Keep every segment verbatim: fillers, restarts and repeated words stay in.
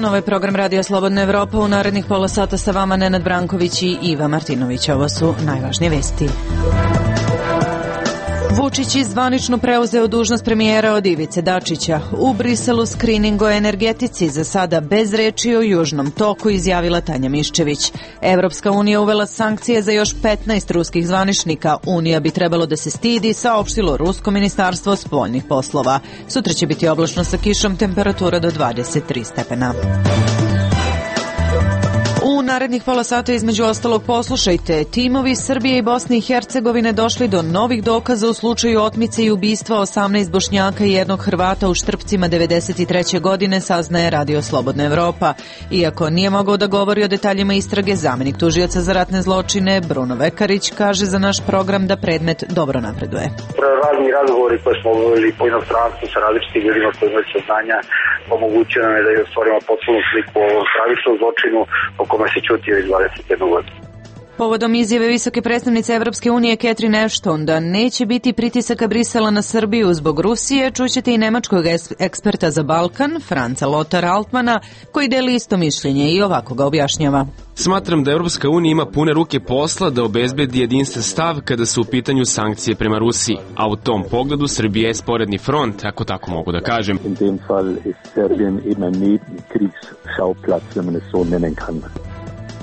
dan, ovo je program Radio Slobodna Evropa. U narednih pola sata sa vama Nenad Branković i Iva Martinović. Ovo su najvažnije vesti. Vučić je zvanično preuzeo dužnost premijera od Ivice Dačića. U Briselu skrining o energetici, za sada bez reči o Južnom toku, izjavila Tanja Miščević. Evropska unija uvela sankcije za još petnaest ruskih zvaničnika. Unija bi trebalo da se stidi, saopštilo Rusko ministarstvo spoljnih poslova. Sutra će biti oblačno sa kišom, temperatura do dvadeset tri stepena. U narednih pola sata između ostalog poslušajte. Timovi Srbije i Bosne i Hercegovine došli do novih dokaza u slučaju otmice i ubistva osamnaest Bošnjaka i jednog Hrvata u Štrpcima devedeset treće godine, saznaje Radio Slobodna Evropa. Iako nije mogao da govori o detaljima istrage, zamenik tužioca za ratne zločine Bruno Vekarić kaže za naš program da predmet dobro napreduje. Razni razgovori koje smo obavili po inostranstvu sa različitim ljudima koji imaju saznanja omogućuje nam je da je stvorimo potpunu sliku o stravičnom zločinu o kome se čuti već dvadeset jednu godinu. Povodom izjave visoke predstavnice Evropske unije Catherine Ashton da neće biti pritisaka Brisela na Srbiju zbog Rusije, čućete i nemačkog eksperta za Balkan, Franca Lothar Altmana, koji deli isto mišljenje i ovako ga objašnjava. Smatram da Evropska unija ima pune ruke posla da obezbedi jedinstven stav kada su u pitanju sankcije prema Rusiji, a u tom pogledu Srbija je sporedni front, ako tako mogu da kažem. In dem Fall ist Serbien eben ein Kriegsschauplatz, wenn man es so nennen kann.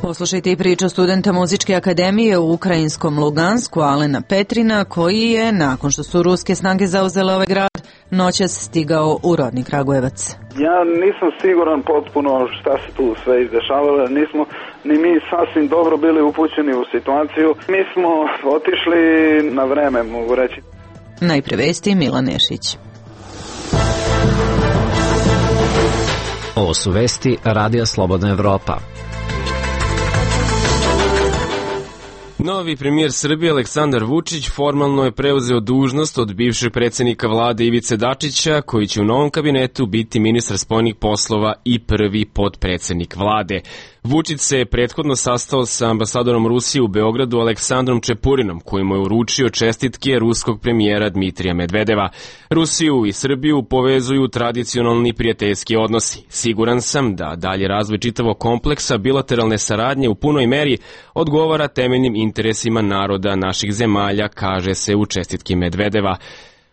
Poslušajte i priču studenta Muzičke akademije u ukrajinskom Lugansku, Alena Petrina, koji je, nakon što su ruske snage zauzele ovaj grad, noćas stigao u rodni Kragujevac. Ja nisam siguran potpuno šta se tu sve izdešavalo, nismo ni mi sasvim dobro bili upućeni u situaciju. Mi smo otišli na vreme, mogu reći. Najpre vesti Milan Nešić. Ovo su vesti Radija Slobodna Evropa. Novi premijer Srbije Aleksandar Vučić formalno je preuzeo dužnost od bivšeg predsjednika vlade Ivice Dačića, koji će u novom kabinetu biti ministar spoljnih poslova i prvi potpredsjednik vlade. Vučić se je prethodno sastao sa ambasadorom Rusije u Beogradu Aleksandrom Čepurinom, koji mu je uručio čestitke ruskog premijera Dmitrija Medvedeva. Rusiju i Srbiju povezuju tradicionalni prijateljski odnosi. Siguran sam da dalje razvoj čitavog kompleksa bilateralne saradnje u punoj meri odgovara temeljnim interesima naroda naših zemalja, kaže se u čestitki Medvedeva.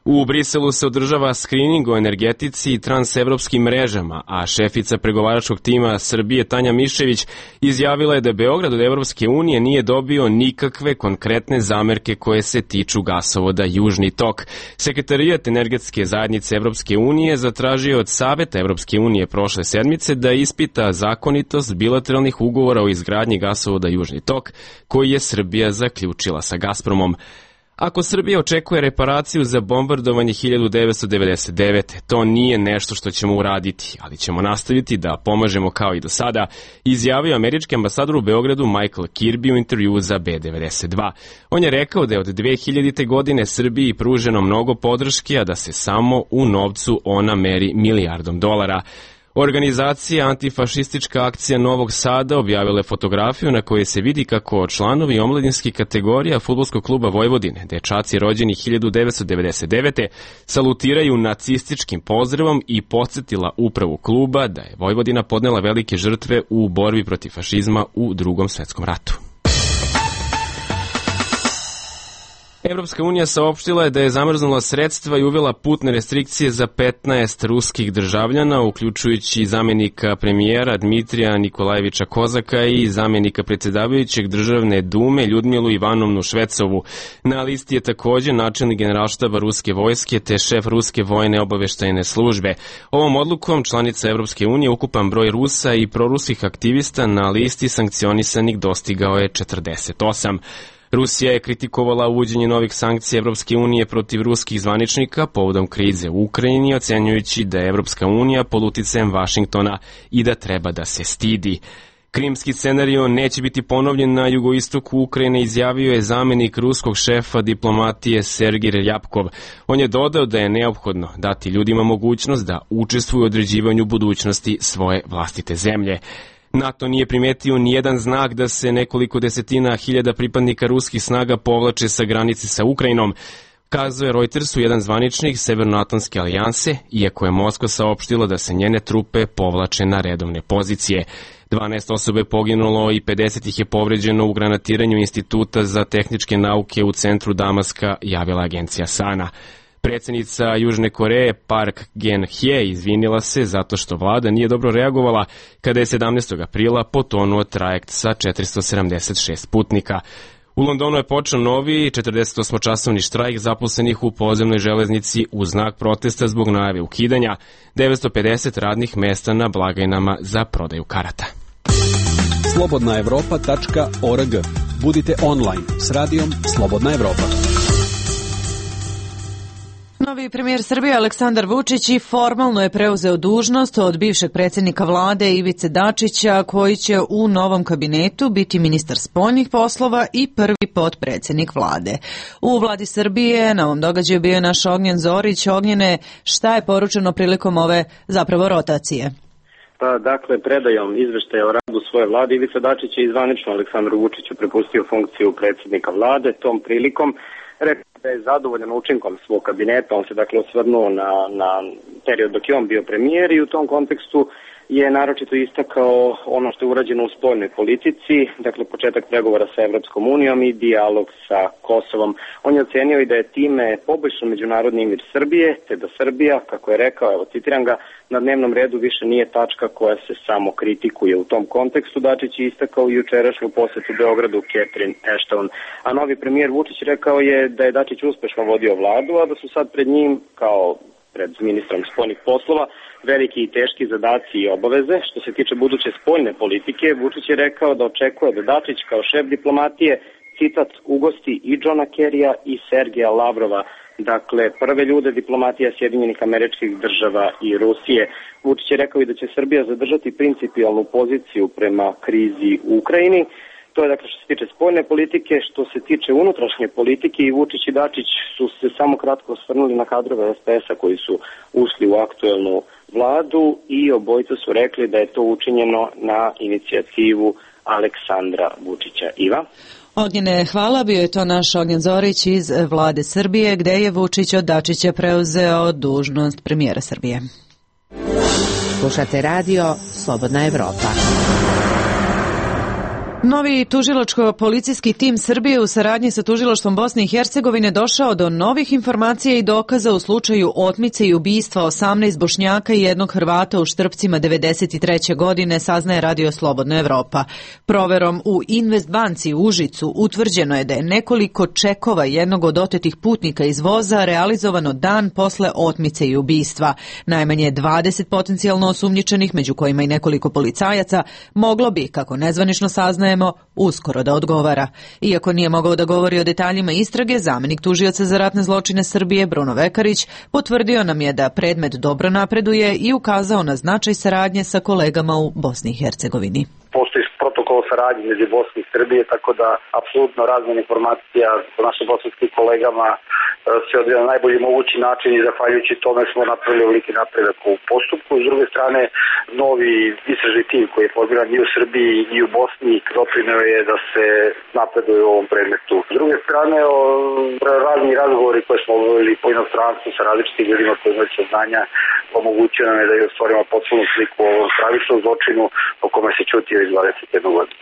U Briselu se održava skrining o energetici i transevropskim mrežama, a šefica pregovaračkog tima Srbije Tanja Miščević izjavila je da Beograd od Evropske unije nije dobio nikakve konkretne zamerke koje se tiču gasovoda Južni tok. Sekretarijat energetske zajednice Evropske unije zatražio od Saveta Evropske unije prošle sedmice da ispita zakonitost bilateralnih ugovora o izgradnji gasovoda Južni tok, koji je Srbija zaključila sa Gazpromom. Ako Srbija očekuje reparaciju za bombardovanje hiljadu devetsto devedeset devete. to nije nešto što ćemo uraditi, ali ćemo nastaviti da pomažemo kao i do sada, izjavio američki ambasador u Beogradu Michael Kirby u intervjuu za B devedeset dva. On je rekao da je od dve hiljadite. godine Srbiji pruženo mnogo podrške, a da se samo u novcu ona meri milijardom dolara. Organizacija Antifašistička akcija Novog Sada objavila je fotografiju na kojoj se vidi kako članovi omladinskih kategorija Fudbalskog kluba Vojvodine, dečaci rođeni hiljadu devetsto devedeset devete. salutiraju nacističkim pozdravom i podsjetila upravu kluba da je Vojvodina podnela velike žrtve u borbi protiv fašizma u Drugom svetskom ratu. Evropska unija saopštila je da je zamrznula sredstva i uvela putne restrikcije za petnaest ruskih državljana, uključujući zamjenika premijera Dmitrija Nikolajevića Kozaka i zamjenika predsjedavajućeg državne dume Ljudmilu Ivanovnu Švecovu. Na listi je također načelnik generalštaba ruske vojske te šef ruske vojne obaveštajne službe. Ovom odlukom članica Evropske unije ukupan broj Rusa i proruskih aktivista na listi sankcionisanih dostigao je četrdeset osam. Rusija je kritikovala uvođenje novih sankcija Evropske unije protiv ruskih zvaničnika povodom krize u Ukrajini, ocenjujući da je Evropska unija pod uticajem Vašingtona i da treba da se stidi. Krimski scenario neće biti ponovljen na jugoistoku Ukrajine, izjavio je zamjenik ruskog šefa diplomatije Sergij Rjapkov. On je dodao da je neophodno dati ljudima mogućnost da učestvuju u određivanju budućnosti svoje vlastite zemlje. NATO nije primetio nijedan znak da se nekoliko desetina hiljada pripadnika ruskih snaga povlače sa granice sa Ukrajinom. Kazuje Reutersu jedan zvaničnik Severnoatlantske alijanse, iako je Moskva saopštila da se njene trupe povlače na redovne pozicije. dvanaest osobe je poginulo i pedeset ih je povređeno u granatiranju Instituta za tehničke nauke u centru Damaska, javila agencija Sana. Predsjednica Južne Koreje Park Geun-hye izvinila se zato što vlada nije dobro reagovala kada je sedamnaestog aprila potonuo trajekt sa četiristo sedamdeset šest putnika. U Londonu je počeo novi četrdeset osmočasovni štrajk zaposlenih u podzemnoj železnici u znak protesta zbog najave ukidanja devetsto pedeset radnih mesta na blagajnama za prodaju karata. slobodna evropa tačka org. Budite online s radijom Slobodna Evropa. Novi premijer Srbije Aleksandar Vučić i formalno je preuzeo dužnost od bivšeg predsjednika vlade Ivice Dačića, koji će u novom kabinetu biti ministar spoljnih poslova i prvi potpredsjednik vlade. U vladi Srbije na ovom događaju bio je naš Ognjen Zorić. Ognjene, šta je poručeno prilikom ove zapravo rotacije? Pa, dakle, predajom izveštaja o radu svoje vlade, Ivica Dačić je izvanično Aleksandru Vučiću prepustio funkciju predsjednika vlade. Tom prilikom rekao da je zadovoljan učinkom svog kabineta. On se dakle osvrnuo na, na period dok je on bio premijer i u tom kontekstu je naročito istakao ono što je urađeno u spoljnoj politici, dakle početak pregovora sa Evropskom unijom i dijalog sa Kosovom. On je ocenio i da je time poboljšan međunarodni imidž Srbije, te da Srbija, kako je rekao, evo citiram ga, na dnevnom redu više nije tačka koja se samo kritikuje. U tom kontekstu Dačić je istakao jučerašnju posjetu Beogradu Catherine Ashton. A novi premijer Vučić rekao je da je Dačić uspešno vodio vladu, a da su sad pred njim, kao pred ministrom spoljnih poslova, veliki i teški zadaci i obaveze. Što se tiče buduće spoljne politike, Vučić je rekao da očekuje da Dačić kao šef diplomatije, citat, ugosti i Johna Kerrya i Sergeja Lavrova, dakle prve ljude diplomatija Sjedinjenih Američkih Država i Rusije. Vučić je rekao i da će Srbija zadržati principijalnu poziciju prema krizi u Ukrajini. To je dakle što se tiče spoljne politike. Što se tiče unutrašnje politike, i Vučić i Dačić su se samo kratko osvrnuli na kadrove es pe es-a koji su ušli u aktuelnu vladu i obojica su rekli da je to učinjeno na inicijativu Aleksandra Vučića. Iva? Ognjene, hvala. Bio je to naš Ognjen Zorić iz vlade Srbije, gde je Vučić od Dačića preuzeo dužnost premijera Srbije. Slušate radio Slobodna Evropa. Novi tužilačko-policijski tim Srbije u saradnji sa tužilaštvom Bosne i Hercegovine došao do novih informacija i dokaza u slučaju otmice i ubistva osamnaest Bošnjaka i jednog Hrvata u Štrpcima devedeset treće godine, saznaje radio Slobodna Evropa. Proverom u Investbanci u Užicu utvrđeno je da je nekoliko čekova jednog od otetih putnika iz voza realizovano dan posle otmice i ubistva. Najmanje dvadeset potencijalno osumnjičenih, među kojima i nekoliko policajaca, moglo bi, kako nezvanično saznaje, uskoro da odgovara. Iako nije mogao da govori o detaljima istrage, zamenik tužioca za ratne zločine Srbije Bruno Vekarić potvrdio nam je da predmet dobro napreduje i ukazao na značaj saradnje sa kolegama u Bosni i Hercegovini. Postoji protokol saradnje među Bosni i Srbije, tako da apsolutno razmjena informacija sa našim bosanskim kolegama se odvija na najbolji mogući način i zahvaljujući tome smo napravili veliki napredak u postupku. S druge strane, novi istražni tim koji je formiran i u Srbiji i u Bosni doprineo je da se napreduje u ovom predmetu. S druge strane, o, razni razgovori koje smo obavili po inostranstvu sa različitim ljudima koji imaju saznanja omogućio nam je da je stvorimo potpunu sliku o ovom stravičnom zločinu o kome se ćutio iz dvadeset jedne godine.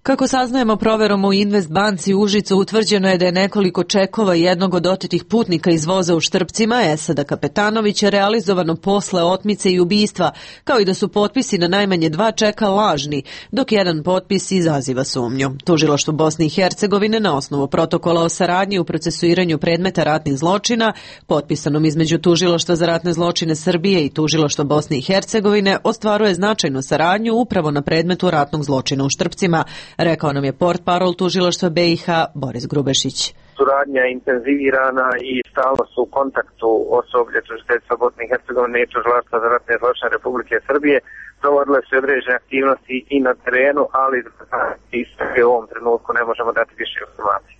Kako saznajemo proverom u Investbanci Užicu, utvrđeno je da je nekoliko čekova jednog od otetih putnika iz voza u Štrpcima, Esada Kapetanovića, realizovano posle otmice i ubistva, kao i da su potpisi na najmanje dva čeka lažni, dok jedan potpis izaziva sumnju. Tužilaštvo Bosne i Hercegovine na osnovu protokola o saradnji u procesuiranju predmeta ratnih zločina, potpisanom između Tužilaštva za ratne zločine Srbije i Tužilaštva Bosne i Hercegovine, ostvaruje značajnu saradnju upravo na predmetu ratnog zločina u Štrpcima, rekao nam je portparol tužilaštva be i ha Boris Grubešić. Suradnja je intenzivirana i stalno su u kontaktu osoblje tužiteljstva Bosne i Hercegovine i tužilaštva za ratne zločine Republike Srbije. Provodile su određene aktivnosti i na terenu, ali istrage u ovom trenutku ne možemo dati više informacije.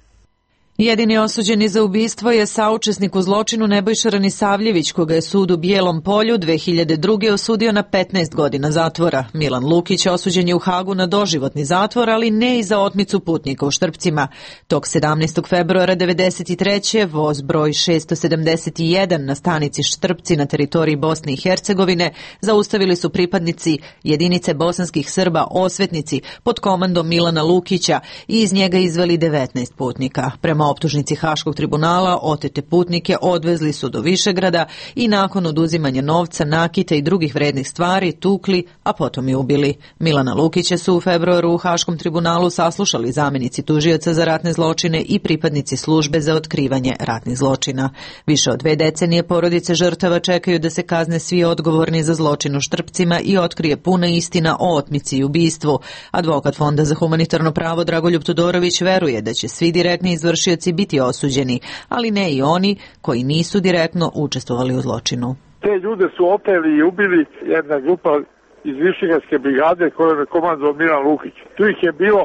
Jedini osuđeni za ubistvo je saučesnik u zločinu Nebojša Ranisavljević, koga je sud u Bijelom Polju dve hiljade druge. osudio na petnaest godina zatvora. Milan Lukić osuđen je u Hagu na doživotni zatvor, ali ne i za otmicu putnika u Štrpcima. Tog sedamnaestog februara devedeset treće. voz broj šesto sedamdeset jedan na stanici Štrpci na teritoriji Bosne i Hercegovine zaustavili su pripadnici jedinice bosanskih Srba Osvetnici pod komandom Milana Lukića i iz njega izveli devetnaest putnika. Prema optužnici Haškog tribunala, otete putnike odvezli su do Višegrada i nakon oduzimanja novca, nakita i drugih vrednih stvari tukli, a potom i ubili. Milana Lukića su u februaru u Haškom tribunalu saslušali zamjenici tužioca za ratne zločine i pripadnici službe za otkrivanje ratnih zločina. Više od dve decenije porodice žrtava čekaju da se kazne svi odgovorni za zločin u Štrpcima i otkrije puna istina o otmici i ubistvu. Advokat Fonda za humanitarno pravo Dragoljub Todorović veruje da će svi direktni izvršioci biti osuđeni, ali ne i oni koji nisu direktno učestvovali u zločinu. Te ljude su opeli i ubili jedna grupa iz Višegradske brigade koju je komandovao Milan Lukić. Tu ih je bilo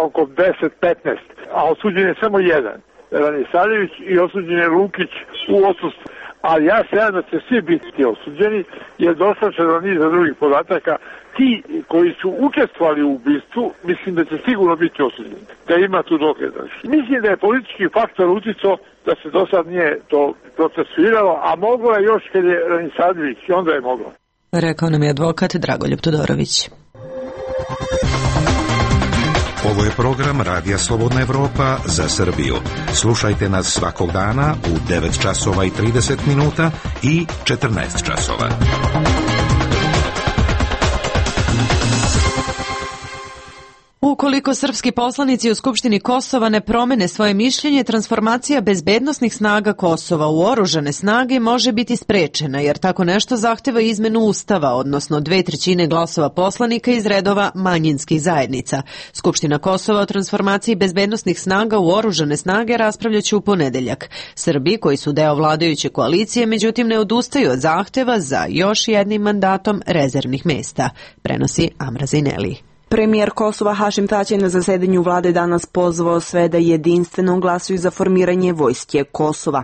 oko deset petnaest, a osuđen je samo jedan, Ranisavljević, i osuđen je Lukić u odsustvu. Ali ja se nadam da će svi biti osuđeni, jer dosta do niza drugih podataka. Ti koji su učestvovali u ubistvu, mislim da će sigurno biti osuđeni, da ima tu dokaza. Mislim da je politički faktor uticao da se do sad nije to procesuiralo, a moglo je još kad je Ranisavljević, i onda je moglo. Rekao nam je advokat Dragoljub Todorović. Ovo je program Radija Slobodna Evropa za Srbiju. Slušajte nas svakog dana u devet časova i trideset minuta i četrnaest časova. Ukoliko srpski poslanici u Skupštini Kosova ne promene svoje mišljenje, transformacija bezbednosnih snaga Kosova u oružane snage može biti sprečena, jer tako nešto zahteva izmenu Ustava, odnosno dve trećine glasova poslanika iz redova manjinskih zajednica. Skupština Kosova o transformaciji bezbednosnih snaga u oružane snage raspravljaće u ponedeljak. Srbi, koji su deo vladajuće koalicije, međutim ne odustaju od zahteva za još jednim mandatom rezervnih mesta, prenosi Amra Zineli. Premijer Kosova Hašim Tači na zasedanju vlade danas pozvao sve da jedinstveno glasuju za formiranje vojske Kosova.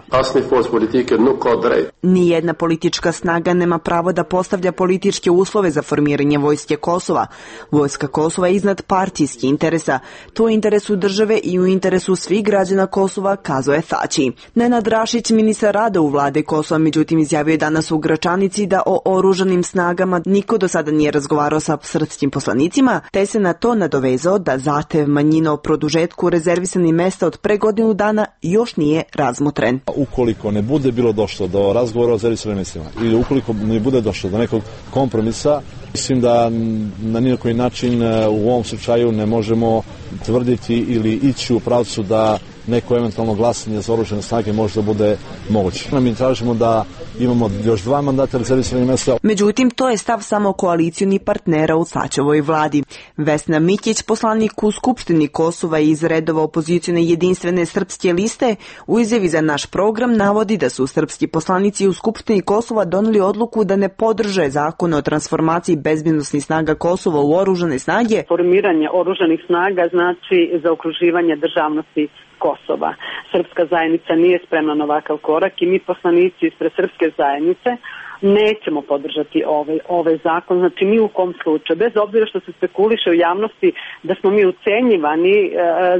Nijedna politička snaga nema pravo da postavlja političke uslove za formiranje vojske Kosova. Vojska Kosova je iznad partijskih interesa. To je u interesu države i u interesu svih građana Kosova, kazao je Tači. Nenad Rašić, ministar rada u vlade Kosova, međutim izjavio je danas u Gračanici da o oružanim snagama niko do sada nije razgovarao sa srpskim poslanicima, te se na to nadovezao da zahtev manjina o produžetku rezervisanih mesta od pre godinu dana još nije razmotren. Ukoliko ne bude bilo došlo do razgovora o rezervisanim mestima ili ukoliko ne bude došlo do nekog kompromisa, mislim da na nijedan način u ovom slučaju ne možemo tvrditi ili ići u pravcu da neko eventualno glasanje za oružane snage možda bude moguće. Mi tražimo da imamo još dva mandata rezervisanih mesta. Međutim, to je stav samo koalicioni partnera u Tačevoj vladi. Vesna Mikić, poslanik u Skupštini Kosova iz redova opozicione jedinstvene srpske liste, u izjavi za naš program navodi da su srpski poslanici u Skupštini Kosova doneli odluku da ne podrže zakon o transformaciji bezbednosnih snaga Kosova u oružane snage. Formiranje oružanih snaga znači zaokruživanje državnosti Kosova. Srpska zajednica nije spremna na ovakav korak i mi poslanici ispred srpske zajednice nećemo podržati ovaj, ovaj zakon, znači ni u kom slučaju, bez obzira što se spekuliše u javnosti da smo mi ucenjivani e,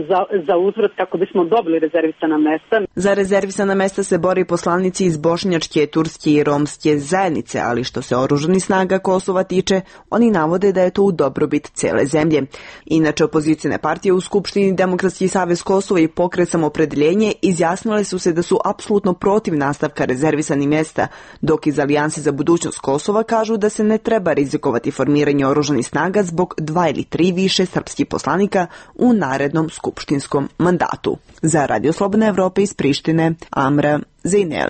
za, za uzvrat kako bismo dobili rezervisana mesta. Za rezervisana mesta se bori poslanici iz bošnjačke, turske i romske zajednice, ali što se oružanih snaga Kosova tiče, oni navode da je to u dobrobit cele zemlje. Inače, opozicijne partije u Skupštini Demokratski savez Kosova i Pokret Samoopredjeljenje izjasnile su se da su apsolutno protiv nastavka rezervisanih mesta, dok iz Alijanse za budućnost Kosova kažu da se ne treba rizikovati formiranje oružanih snaga zbog dva ili tri više srpskih poslanika u narednom skupštinskom mandatu. Za Radio Slobodna Evropa iz Prištine, Amra Zineli.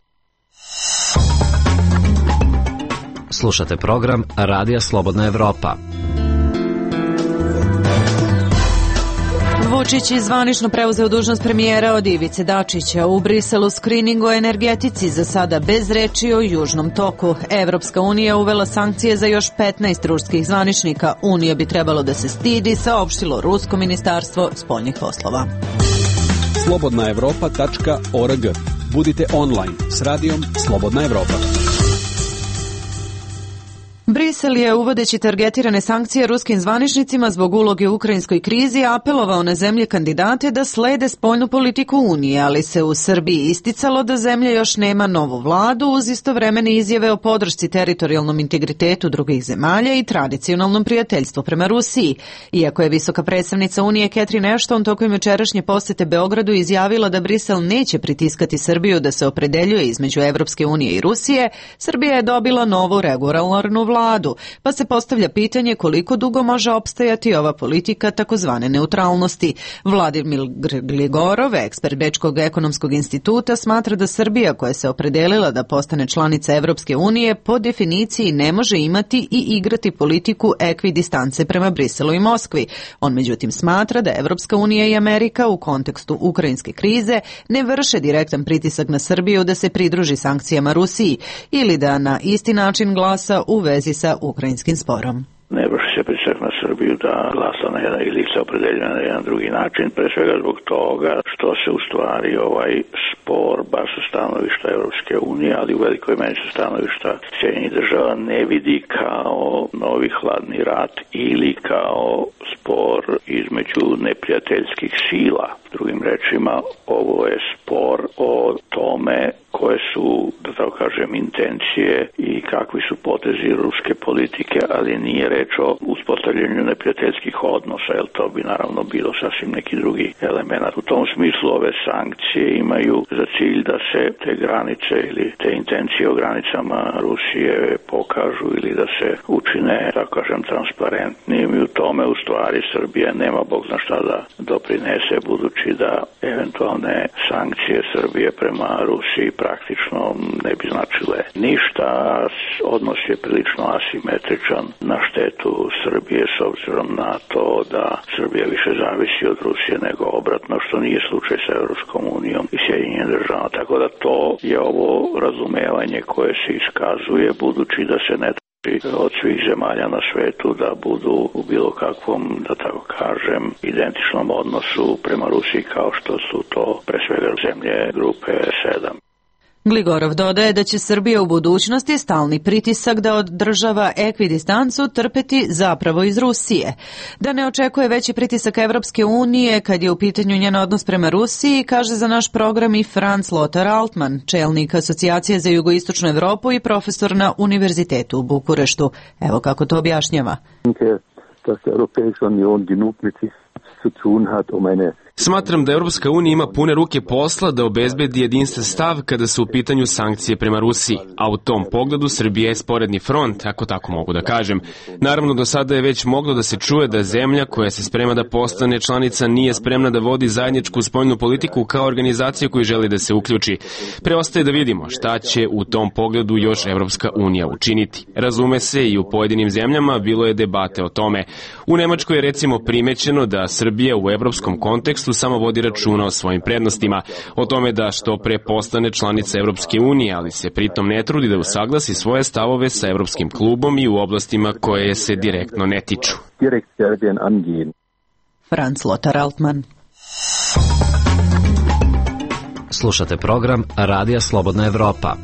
Slušate program Radija Slobodna Evropa. Vučić je zvanično preuzeo dužnost premijera od Ivice Dačića. U Briselu skrining o energetici, za sada bez reči o Južnom toku. Evropska unija uvela sankcije za još petnaest ruskih zvaničnika. Unija bi trebalo da se stidi, saopštilo Rusko ministarstvo spoljnih poslova. slobodna evropa tačka org. Budite online s radijom Slobodna Evropa. Brisel je, uvodeći targetirane sankcije ruskim zvaničnicima zbog uloge u ukrajinskoj krizi, apelovao na zemlje kandidate da slede spoljnu politiku Unije, ali se u Srbiji isticalo da zemlja još nema novu vladu uz istovremene izjave o podršci teritorijalnom integritetu drugih zemalja i tradicionalnom prijateljstvu prema Rusiji. Iako je visoka predstavnica Unije Catherine Ashton tokom jučerašnje posete Beogradu izjavila da Brisel neće pritiskati Srbiju da se opredeljuje između Evropske unije i Rusije, Srbija je dobila novu regulatornu vladu. Vladu, pa se postavlja pitanje koliko dugo može opstajati ova politika takozvane neutralnosti. Vladimir Gligorov, ekspert Bečkog ekonomskog instituta, smatra da Srbija, koja se opredelila da postane članica Evropske unije, po definiciji ne može imati i igrati politiku ekvidistance prema Briselu i Moskvi. On međutim smatra da Evropska unija i Amerika u kontekstu ukrajinske krize ne vrše direktan pritisak na Srbiju da se pridruži sankcijama Rusiji ili da na isti način glasa u vezi sa ukrajinskim sporom. Ne vrši se pritisak na Srbiju da glasa na jedan ili se opredeljuje na jedan drugi način, pre svega zbog toga što se u stvari ovaj spor, baš sa stanovišta Evropske unije, ali u velikoj meri sa stanovišta Sjedinjenih država, ne vidi kao novi hladni rat ili kao spor između neprijateljskih sila. Drugim rečima, ovo je spor o tome koje su, da tako kažem, intencije i kakvi su potezi ruske politike, ali nije reč o uspostavljanju neprijateljskih odnosa, jer to bi naravno bilo sasvim neki drugi element. U tom smislu ove sankcije imaju za cilj da se te granice ili te intencije o granicama Rusije pokažu ili da se učine, tako kažem, transparentnim i u tome u stvari Srbija nema bog zna šta da doprinese, budući da eventualne sankcije Srbije prema Rusiji praktično ne bi značile ništa. Odnos je prilično asimetričan na štetu Srbije s obzirom na to da Srbija više zavisi od Rusije nego obratno, što nije slučaj sa Evropskom unijom i Sjedinjenim državama. Tako da to je ovo razumevanje koje se iskazuje, budući da se ne od svih zemalja na svetu da budu u bilo kakvom, da tako kažem, identičnom odnosu prema Rusiji kao što su to pre svega zemlje grupe sedam. Gligorov dodaje da će Srbija u budućnosti stalni pritisak da održava ekvidistancu trpeti zapravo iz Rusije. Da ne očekuje veći pritisak Evropske unije kad je u pitanju njen odnos prema Rusiji, kaže za naš program i Franz Lothar Altmann, čelnik Asocijacije za jugoistočnu Evropu i profesor na Univerzitetu u Bukureštu. Evo kako to objašnjava. Smatram da Europska unija ima pune ruke posla da obezbedi jedinstven stav kada su u pitanju sankcije prema Rusiji, a u tom pogledu Srbija je sporedni front, ako tako mogu da kažem. Naravno, do sada je već moglo da se čuje da zemlja koja se sprema da postane članica nije spremna da vodi zajedničku spoljnu politiku kao organizaciju koju želi da se uključi. Preostaje da vidimo šta će u tom pogledu još Europska unija učiniti. Razume se, i u pojedinim zemljama bilo je debate o tome. U Nemačkoj je recimo primećeno da Srbija u evropskom kontekstu samo vodi računa o svojim prednostima, o tome da što pre postane članica Evropske unije, ali se pritom ne trudi da usaglasi svoje stavove sa Evropskim klubom i u oblastima koje se direktno ne tiču. Franz Lothar Altmann. Slušate program Radija Slobodna Evropa.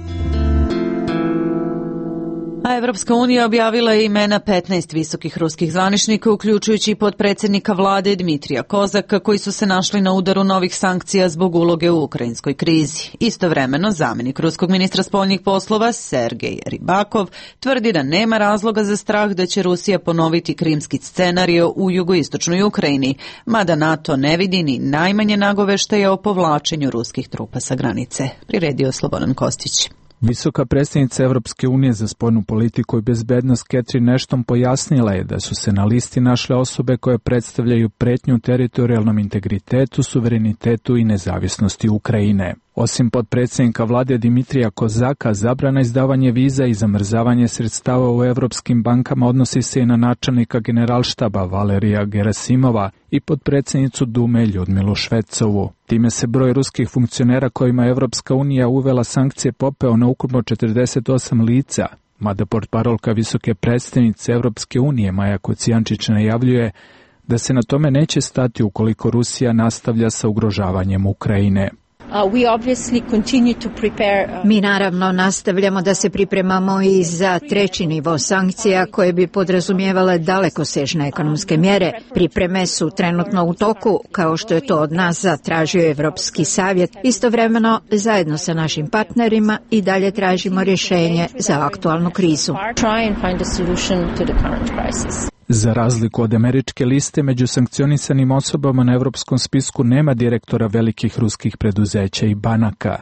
A Evropska unija objavila je imena petnaest visokih ruskih zvaničnika, uključujući i potpredsjednika vlade Dmitrija Kozaka, koji su se našli na udaru novih sankcija zbog uloge u ukrajinskoj krizi. Istovremeno, zamjenik ruskog ministra spoljnih poslova Sergej Ribakov tvrdi da nema razloga za strah da će Rusija ponoviti krimski scenario u jugoistočnoj Ukrajini, mada NATO ne vidi ni najmanje nagoveštaja o povlačenju ruskih trupa sa granice. Priredio Slobodan Kostić. Visoka predstavnica Evropske unije za spoljnu politiku i bezbednost Catherine Ashton pojasnila je da su se na listi našle osobe koje predstavljaju pretnju teritorijalnom integritetu, suverenitetu i nezavisnosti Ukrajine. Osim potpredsjednika vlade Dimitrija Kozaka, zabrana izdavanje viza i zamrzavanje sredstava u evropskim bankama odnosi se i na načelnika generalštaba Valerija Gerasimova i potpredsjednicu Dume Ljudmilu Švecovu. Time se broj ruskih funkcionera kojima je Evropska unija uvela sankcije popeo na ukupno četrdeset osam lica, mada portparolka visoke predstavnice Evropske unije Maja Kocijančić najavljuje da se na tome neće stati ukoliko Rusija nastavlja sa ugrožavanjem Ukrajine. Mi naravno nastavljamo da se pripremamo i za treći nivo sankcija koje bi podrazumijevale dalekosežne ekonomske mjere. Pripreme su trenutno u toku, kao što je to od nas zatražio Evropski savjet. Istovremeno, zajedno sa našim partnerima i dalje tražimo rješenje za aktualnu krizu. Za razliku od američke liste, među sankcionisanim osobama na evropskom spisku nema direktora velikih ruskih preduzeća i banaka.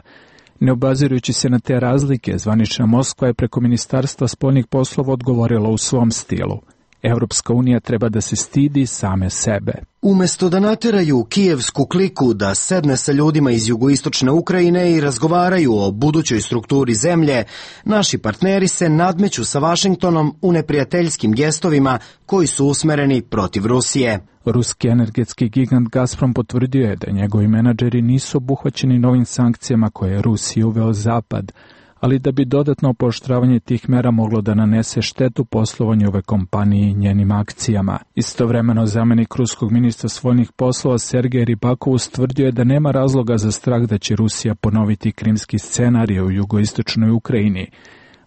Ne obazirujući se na te razlike, zvanična Moskva je preko Ministarstva spoljnih poslova odgovorila u svom stilu. Evropska unija treba da se stidi same sebe. Umesto da nateraju kijevsku kliku da sedne sa ljudima iz jugoistočne Ukrajine i razgovaraju o budućoj strukturi zemlje, naši partneri se nadmeću sa Vašingtonom u neprijateljskim gestovima koji su usmereni protiv Rusije. Ruski energetski gigant Gazprom potvrdio je da njegovi menadžeri nisu obuhvaćeni novim sankcijama koje je Rusiji uveo Zapad, ali da bi dodatno pooštravanje tih mera moglo da nanese štetu poslovanju ove kompanije i njenim akcijama. Istovremeno, zamenik ruskog ministra spoljnih poslova Sergej Ribakov ustvrdio je da nema razloga za strah da će Rusija ponoviti krimski scenarij u jugoistočnoj Ukrajini,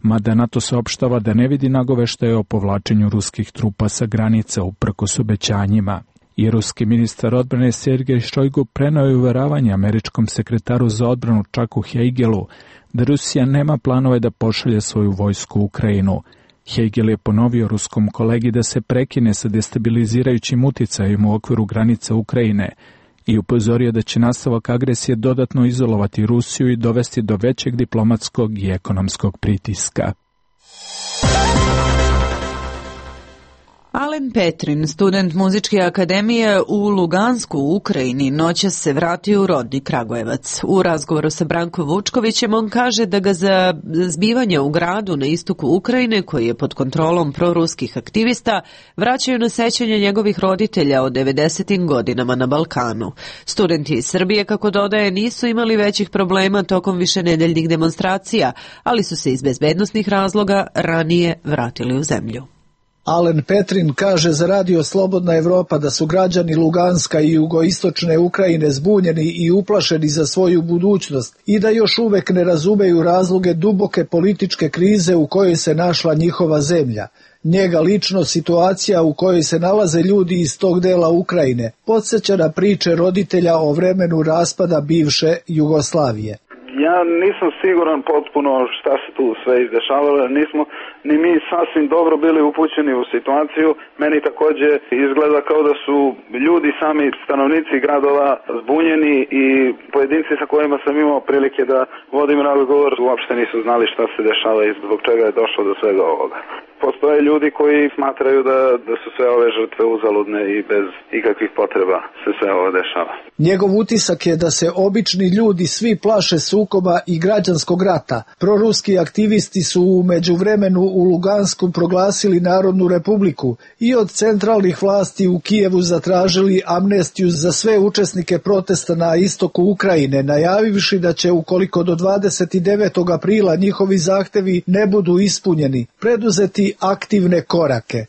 mada NATO saopštava da ne vidi nagoveštaje o povlačenju ruskih trupa sa granica uprkos obećanjima. I ruski ministar odbrane Sergej Šojgu preneo je uveravanje američkom sekretaru za odbranu Chucku Hagelu da Rusija nema planove da pošalje svoju vojsku u Ukrajinu. Hagel je ponovio ruskom kolegi da se prekine sa destabilizirajućim uticajem u okviru granica Ukrajine i upozorio da će nastavak agresije dodatno izolovati Rusiju i dovesti do većeg diplomatskog i ekonomskog pritiska. Alen Petrin, student Muzičke akademije u Lugansku u Ukrajini, noćas se vratio u rodni Kragujevac. U razgovoru sa Brankom Vučkovićem on kaže da ga za zbivanje u gradu na istoku Ukrajine, koji je pod kontrolom proruskih aktivista, vraćaju na sećanje njegovih roditelja o devedesetim godinama na Balkanu. Studenti iz Srbije, kako dodaje, nisu imali većih problema tokom višenedeljnih demonstracija, ali su se iz bezbednosnih razloga ranije vratili u zemlju. Alen Petrin kaže za Radio Slobodna Evropa da su građani Luganska i jugoistočne Ukrajine zbunjeni i uplašeni za svoju budućnost i da još uvek ne razumeju razloge duboke političke krize u kojoj se našla njihova zemlja. Njega lično situacija u kojoj se nalaze ljudi iz tog dela Ukrajine podsjeća na priče roditelja o vremenu raspada bivše Jugoslavije. Ja nisam siguran potpuno šta se tu sve izdešavalo, nismo ni mi sasvim dobro bili upućeni u situaciju. Meni takođe izgleda kao da su ljudi, sami stanovnici gradova, zbunjeni i pojedinci sa kojima sam imao prilike da vodim razgovor uopšte nisu znali šta se dešava i zbog čega je došlo do svega ovoga. Postoje ljudi koji smatraju da, da su sve ove žrtve uzaludne i bez ikakvih potreba se sve ovo dešava. Njegov utisak je da se obični ljudi svi plaše sukoba i građanskog rata. Proruski aktivisti su u međuvremenu u Lugansku proglasili Narodnu republiku i od centralnih vlasti u Kijevu zatražili amnestiju za sve učesnike protesta na istoku Ukrajine, najavivši da će, ukoliko do dvadeset devetog aprila njihovi zahtevi ne budu ispunjeni, preduzeti aktivne korake.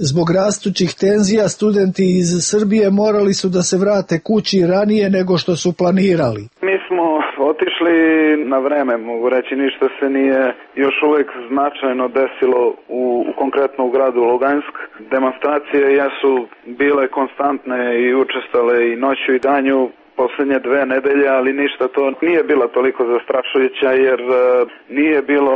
Zbog rastućih tenzija studenti iz Srbije morali su da se vrate kući ranije nego što su planirali. Mi smo otišli na vreme, mogu reći, ništa se nije još uvek značajno desilo u, u konkretno u gradu Lugansk. Demonstracije jesu bile konstantne i učestale i noću i danju poslednje dve nedelje, ali ništa to nije bilo toliko zastrašujuća jer uh, nije bilo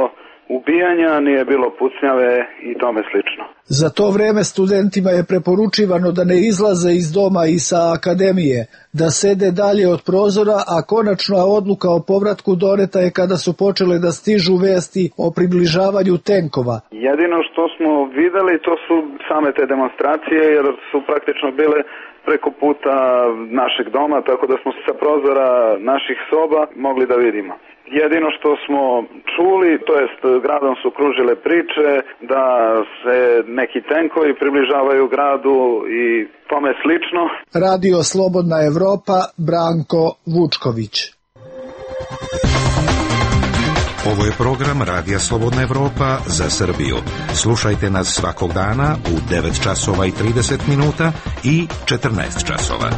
ubijanja, nije bilo pucnjave i tome slično. Za to vreme studentima je preporučivano da ne izlaze iz doma i sa akademije, da sede dalje od prozora, a konačna odluka o povratku doneta je kada su počele da stižu vesti o približavanju tenkova. Jedino što smo videli to su same te demonstracije jer su praktično bile preko puta našeg doma, tako da smo sa prozora naših soba mogli da vidimo. Jedino što smo čuli, to jest gradom su kružile priče da se neki tenkovi približavaju gradu i tome slično. Radio Slobodna Evropa, Branko Vučković. Ovo je program Radija Slobodna Evropa za Srbiju. Slušajte nas svakog dana u devet časova i trideset minuta i četrnaest časova.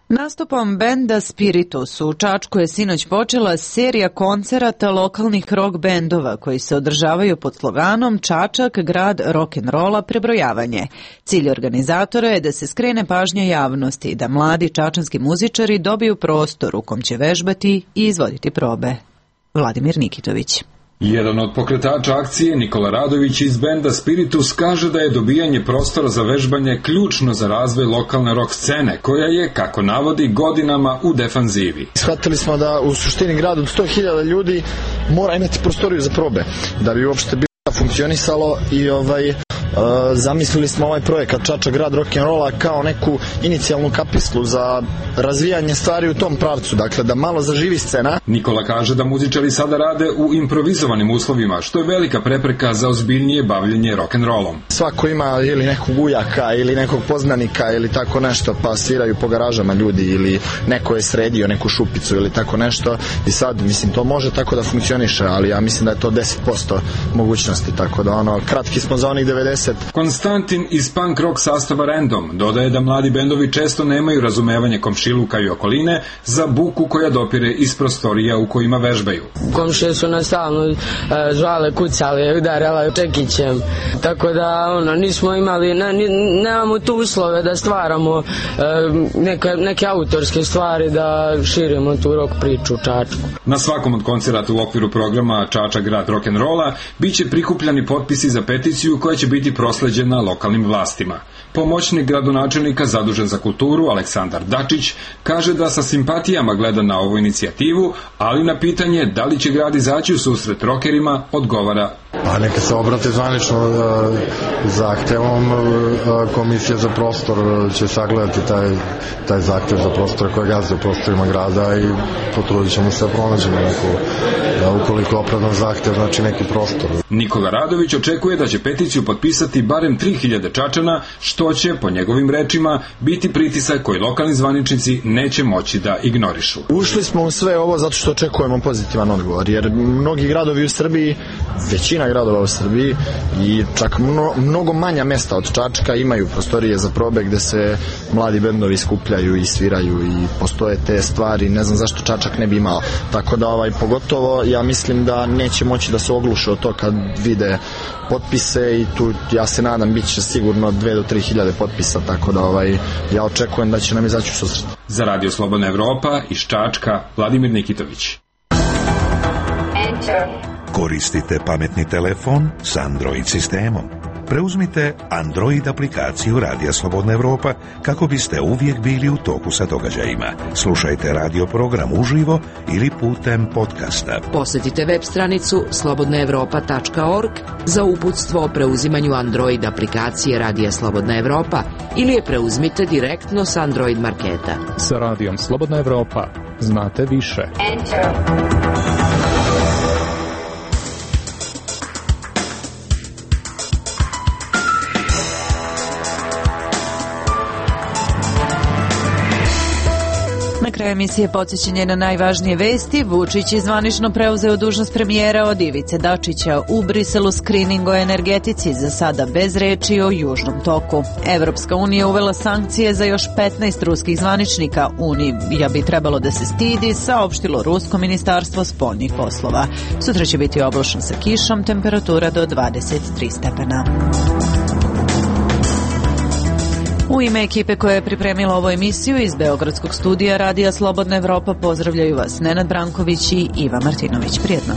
Nastupom benda Spiritus u Čačku je sinoć počela serija koncerata lokalnih rock bendova koji se održavaju pod sloganom Čačak, grad rock'n'rolla, prebrojavanje. Cilj organizatora je da se skrene pažnja javnosti i da mladi čačanski muzičari dobiju prostor u kom će vežbati i izvoditi probe. Vladimir Nikitović. Jedan od pokretača akcije, Nikola Radović iz benda Spiritus, kaže da je dobijanje prostora za vežbanje ključno za razvoj lokalne rock scene, koja je, kako navodi, godinama u defanzivi. Shvatili smo da u suštini grad od sto hiljada ljudi mora imati prostoriju za probe, da bi uopšte bilo funkcionisalo i ovaj... Uh, zamislili smo ovaj projekat Čačak, grad rock'n'rolla kao neku inicijalnu kapislu za razvijanje stvari u tom pravcu, dakle da malo zaživi scena. Nikola kaže da muzičari sada rade u improvizovanim uslovima, što je velika prepreka za ozbiljnije bavljenje rock'n'rollom. Svako ima ili nekog ujaka ili nekog poznanika ili tako nešto, pa sviraju po garažama ljudi ili neko je sredio neku šupicu ili tako nešto i sad, mislim, to može tako da funkcioniše, ali ja mislim da je to deset posto mogućnosti, tako da ono, kratki smo za onih devedeset. Konstantin iz punk rock sastava Random dodaje da mladi bendovi često nemaju razumevanje komšiluka i okoline za buku koja dopire iz prostorija u kojima vežbaju. Komšije su nas stalno e, žale, kucale, udarala čekićem, tako da ono, nismo imali, ne, nemamo tu uslove da stvaramo e, neke, neke autorske stvari, da širimo tu rock priču u Čačku. Na svakom od koncerata u okviru programa Čačak, grad rock'n'rolla biće prikupljani potpisi za peticiju koja će biti prosleđena lokalnim vlastima. Pomoćnik gradonačelnika zadužen za kulturu Aleksandar Dačić kaže da sa simpatijama gleda na ovu inicijativu, ali na pitanje da li će grad izaći u susret rokerima odgovara: Pa neka se obrate zvanično zahtevom, komisija za prostor će sagledati taj, taj zahtev za prostor koje gazde u prostorima grada i potrudit ćemo se da pronađemo neku, ukoliko opravdan zahtev, znači neki prostor. Nikola Radović očekuje da će peticiju potpisati barem tri hiljade Čačana, što će, po njegovim rečima, biti pritisak koji lokalni zvaničnici neće moći da ignorišu. Ušli smo u sve ovo zato što očekujemo pozitivan odgovor, jer mnogi gradovi u Srbiji, većina gradova u Srbiji i čak mno, mnogo manja mesta od Čačka imaju prostorije za probe gde se mladi bendovi skupljaju i sviraju i postoje te stvari, ne znam zašto Čačak ne bi imao. Tako da ovaj, pogotovo ja mislim da neće moći da se ogluše od to kad vide potpise i tu ja se nadam bit će sigurno dve do tri hiljade potpisa, tako da ovaj, ja očekujem da će nam izaći u susret. Za Radio Slobodna Evropa iz Čačka, Vladimir Nikitović. Koristite pametni telefon s Android sistemom. Preuzmite Android aplikaciju Radija Slobodna Evropa kako biste uvijek bili u toku sa događajima. Slušajte radio program uživo ili putem podcasta. Posjetite web stranicu slobodna evropa tačka org za uputstvo o preuzimanju Android aplikacije Radija Slobodna Evropa ili je preuzmite direktno s Android marketa. Sa Radijom Slobodna Evropa znate više. Enter. Na kraju emisije podsjećanje na najvažnije vesti. Vučić je zvanično preuzeo dužnost premijera od Ivice Dačića. U Briselu skrining o energetici, za sada bez reči o Južnom toku. Evropska unija uvela sankcije za još petnaest ruskih zvaničnika. Unija bi trebalo da se stidi, saopštilo Rusko ministarstvo spoljnih poslova. Sutra će biti oblačno sa kišom, temperatura do dvadeset tri stepena. U ime ekipe koja je pripremila ovu emisiju iz Beogradskog studija Radija Slobodna Evropa pozdravljaju vas Nenad Branković i Iva Martinović. Prijetno.